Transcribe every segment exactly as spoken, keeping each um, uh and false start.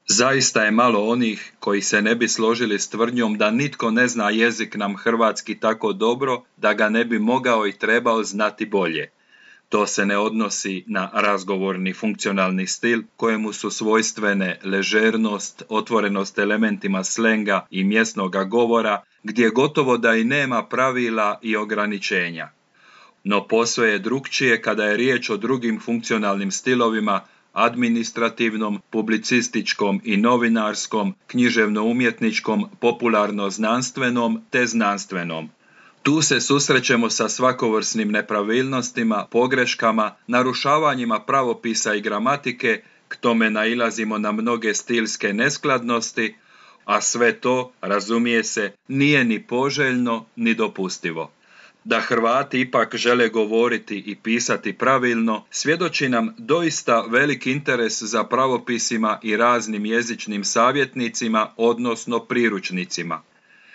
Zaista je malo onih koji se ne bi složili s tvrdnjom da nitko ne zna jezik nam hrvatski tako dobro da ga ne bi mogao i trebao znati bolje. To se ne odnosi na razgovorni funkcionalni stil kojemu su svojstvene ležernost, otvorenost elementima slenga i mjesnoga govora, gdje gotovo da i nema pravila i ograničenja. No posve je drukčije kada je riječ o drugim funkcionalnim stilovima, administrativnom, publicističkom i novinarskom, književno-umjetničkom, popularno-znanstvenom te znanstvenom. Tu se susrećemo sa svakovrsnim nepravilnostima, pogreškama, narušavanjima pravopisa i gramatike, k tome nailazimo na mnoge stilske neskladnosti, a sve to, razumije se, nije ni poželjno ni dopustivo. Da Hrvati ipak žele govoriti i pisati pravilno, svjedoči nam doista velik interes za pravopisima i raznim jezičnim savjetnicima, odnosno priručnicima.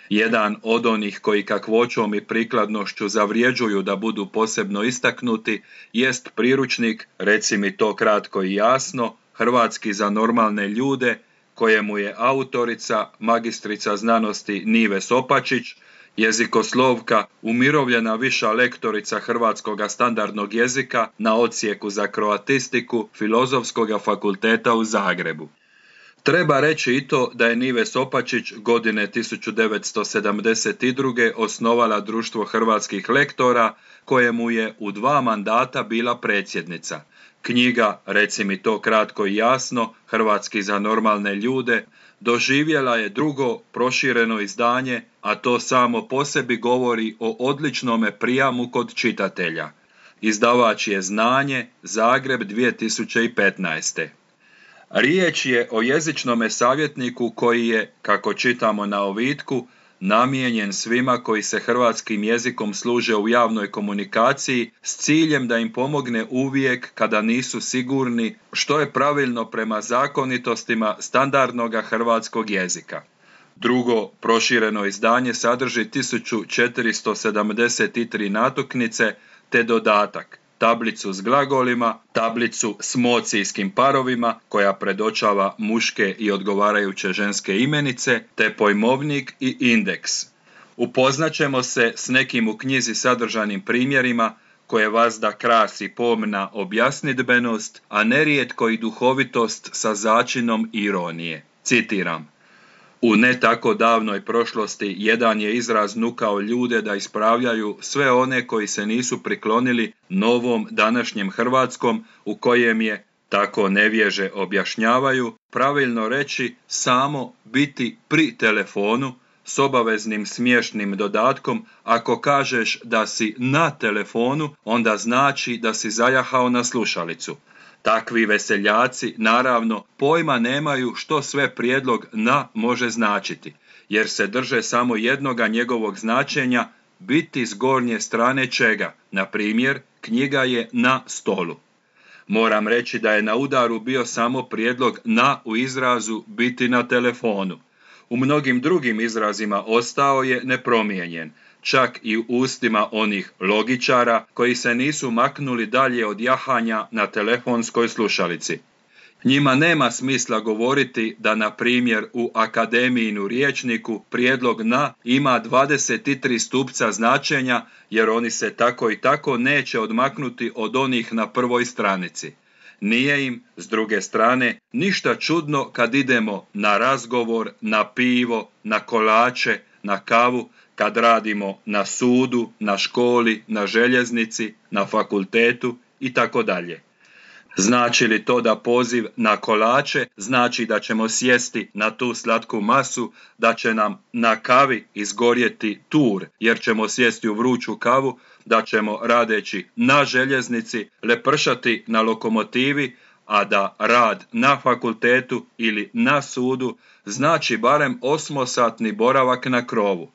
Jedan od onih koji kakvoćom i prikladnošću zavrijeđuju da budu posebno istaknuti jest priručnik, reci mi to kratko i jasno, Hrvatski za normalne ljude, kojemu je autorica, magistrica znanosti Nives Opačić, jezikoslovka, umirovljena viša lektorica hrvatskoga standardnog jezika na odsjeku za kroatistiku Filozofskog fakulteta u Zagrebu. Treba reći i to da je Nives Opačić godine tisuću devetsto sedamdeset druge osnovala Društvo hrvatskih lektora, kojemu je u dva mandata bila predsjednica. Knjiga, reci mi to kratko i jasno, Hrvatski za normalne ljude, doživjela je drugo prošireno izdanje, a to samo po sebi govori o odličnome prijamu kod čitatelja. Izdavač je Znanje, Zagreb dvije tisuće petnaeste. Riječ je o jezičnome savjetniku koji je, kako čitamo na ovitku, namijenjen svima koji se hrvatskim jezikom služe u javnoj komunikaciji s ciljem da im pomogne uvijek kada nisu sigurni što je pravilno prema zakonitostima standardnog hrvatskog jezika. Drugo prošireno izdanje sadrži tisuću četiristo sedamdeset tri natuknice te dodatak, tablicu s glagolima, tablicu s mocijskim parovima koja predočava muške i odgovarajuće ženske imenice, te pojmovnik i indeks. Upoznaćemo se s nekim u knjizi sadržanim primjerima koje vas da krasi pomna objasnidbenost, a nerijetko i duhovitost sa začinom ironije. Citiram. U ne tako davnoj prošlosti jedan je izraz nukao ljude da ispravljaju sve one koji se nisu priklonili novom današnjem hrvatskom u kojem je, tako nevježe objašnjavaju, pravilno reći samo biti pri telefonu s obaveznim smiješnim dodatkom. Ako kažeš da si na telefonu, onda znači da si zajahao na slušalicu. Takvi veseljaci, naravno, pojma nemaju što sve prijedlog na može značiti, jer se drže samo jednoga njegovog značenja, biti s gornje strane čega, na primjer, knjiga je na stolu. Moram reći da je na udaru bio samo prijedlog na u izrazu biti na telefonu. U mnogim drugim izrazima ostao je nepromijenjen, čak i u ustima onih logičara koji se nisu maknuli dalje od jahanja na telefonskoj slušalici. Njima nema smisla govoriti da, na primjer, u akademijinu rječniku prijedlog na ima dvadeset tri stupca značenja, jer oni se tako i tako neće odmaknuti od onih na prvoj stranici. Nije im, s druge strane, ništa čudno kad idemo na razgovor, na pivo, na kolače, na kavu, kad radimo na sudu, na školi, na željeznici, na fakultetu i tako dalje. Znači li to da poziv na kolače znači da ćemo sjesti na tu slatku masu, da će nam na kavi izgorjeti tur jer ćemo sjesti u vruću kavu, da ćemo radeći na željeznici lepršati na lokomotivi, a da rad na fakultetu ili na sudu znači barem osmosatni boravak na krovu.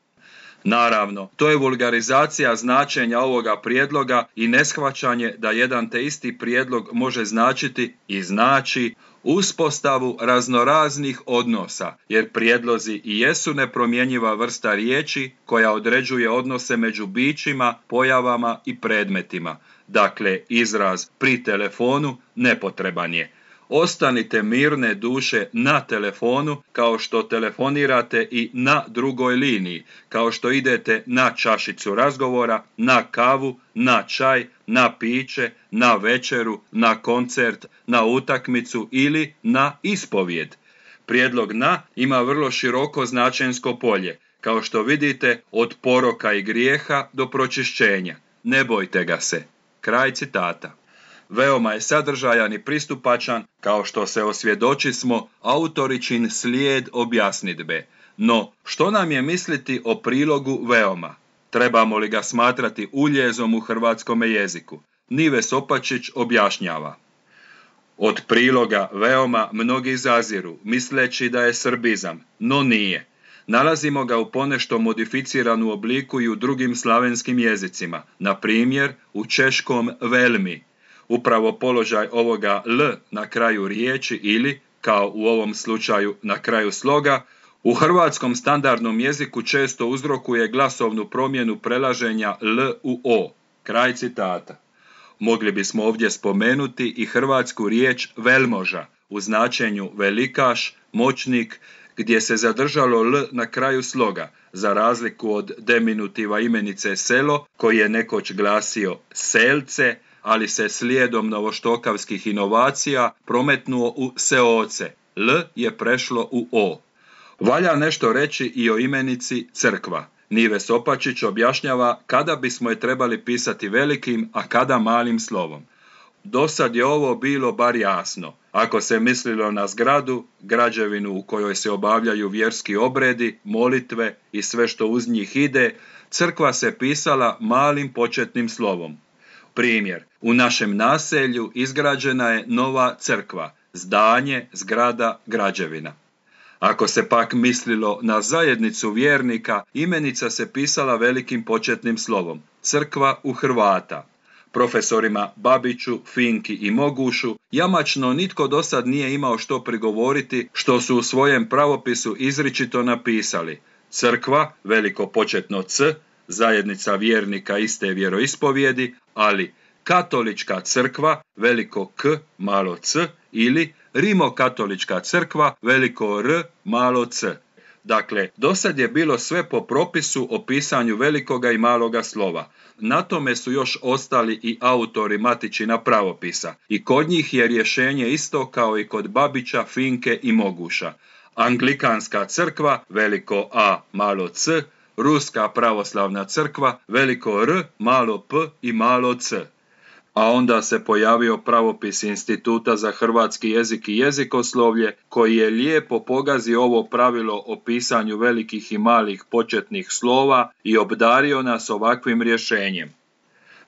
Naravno, to je vulgarizacija značenja ovoga prijedloga i neshvaćanje da jedan te isti prijedlog može značiti i znači uspostavu raznoraznih odnosa, jer prijedlozi i jesu nepromjenjiva vrsta riječi koja određuje odnose među bićima, pojavama i predmetima. Dakle, izraz pri telefonu nepotreban je. Ostanite mirne duše na telefonu, kao što telefonirate i na drugoj liniji, kao što idete na čašicu razgovora, na kavu, na čaj, na piće, na večeru, na koncert, na utakmicu ili na ispovijed. Prijedlog na ima vrlo široko značensko polje, kao što vidite, od poroka i grijeha do pročišćenja. Ne bojte ga se. Kraj citata. Veoma je sadržajan i pristupačan, kao što se osvjedočismo autoričin slijed objasnidbe. No, što nam je misliti o prilogu veoma? Trebamo li ga smatrati uljezom u hrvatskome jeziku? Nive Sopačić objašnjava. Od priloga veoma mnogi zaziru, misleći da je srbizam, no nije. Nalazimo ga u ponešto modificiranu obliku i u drugim slavenskim jezicima, na primjer u češkom velmi. Upravo položaj ovoga L na kraju riječi ili, kao u ovom slučaju na kraju sloga, u hrvatskom standardnom jeziku često uzrokuje glasovnu promjenu prelaženja L u O. Kraj citata. Mogli bismo ovdje spomenuti i hrvatsku riječ velmoža u značenju velikaš, moćnik, gdje se zadržalo L na kraju sloga, za razliku od deminutiva imenice selo, koji je nekoć glasio selce, ali se slijedom novoštokavskih inovacija prometnuo u seoce. L je prešlo u O. Valja nešto reći i o imenici crkva. Nive Sopačić objašnjava kada bismo je trebali pisati velikim, a kada malim slovom. Dosad je ovo bilo bar jasno. Ako se mislilo na zgradu, građevinu u kojoj se obavljaju vjerski obredi, molitve i sve što uz njih ide, crkva se pisala malim početnim slovom. Primjer, u našem naselju izgrađena je nova crkva, zdanje, zgrada, građevina. Ako se pak mislilo na zajednicu vjernika, imenica se pisala velikim početnim slovom, crkva u Hrvata. Profesorima Babiću, Finki i Mogušu jamačno nitko dosad nije imao što prigovoriti što su u svojem pravopisu izričito napisali. Crkva, veliko početno C, zajednica vjernika iste vjeroispovijedi, ali katolička crkva, veliko K, malo c, ili rimokatolička crkva, veliko R, malo c. Dakle, dosad je bilo sve po propisu o pisanju velikoga i maloga slova. Na tome su još ostali i autori matičina pravopisa. I kod njih je rješenje isto kao i kod Babića, Finke i Moguša. Anglikanska crkva, veliko A, malo c, Ruska pravoslavna crkva, veliko R, malo p i malo c. A onda se pojavio pravopis Instituta za hrvatski jezik i jezikoslovlje, koji je lijepo pogazio ovo pravilo o pisanju velikih i malih početnih slova i obdario nas ovakvim rješenjem.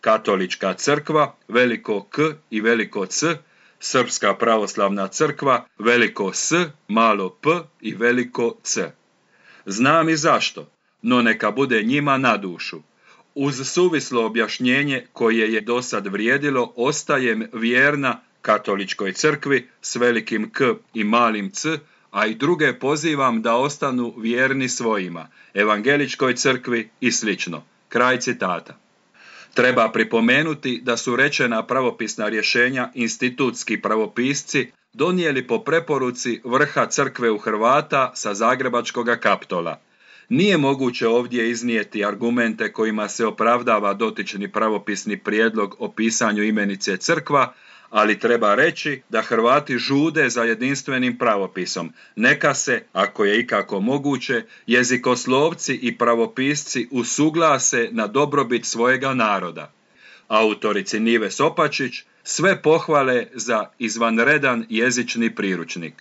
Katolička crkva, veliko K i veliko C, Srpska pravoslavna crkva, veliko S, malo p i veliko c. Znam i zašto, no neka bude njima na dušu. Uz suvislo objašnjenje koje je dosad vrijedilo, ostajem vjerna katoličkoj crkvi s velikim K i malim c, a i druge pozivam da ostanu vjerni svojima, evangeličkoj crkvi i slično. Kraj citata. Treba pripomenuti da su rečena pravopisna rješenja institutski pravopisci donijeli po preporuci vrha crkve u Hrvata sa Zagrebačkoga Kaptola. Nije moguće ovdje iznijeti argumente kojima se opravdava dotični pravopisni prijedlog o pisanju imenice crkva, ali treba reći da Hrvati žude za jedinstvenim pravopisom. Neka se, ako je ikako moguće, jezikoslovci i pravopisci usuglase na dobrobit svojega naroda. Autorici Nive Sopačić sve pohvale za izvanredan jezični priručnik.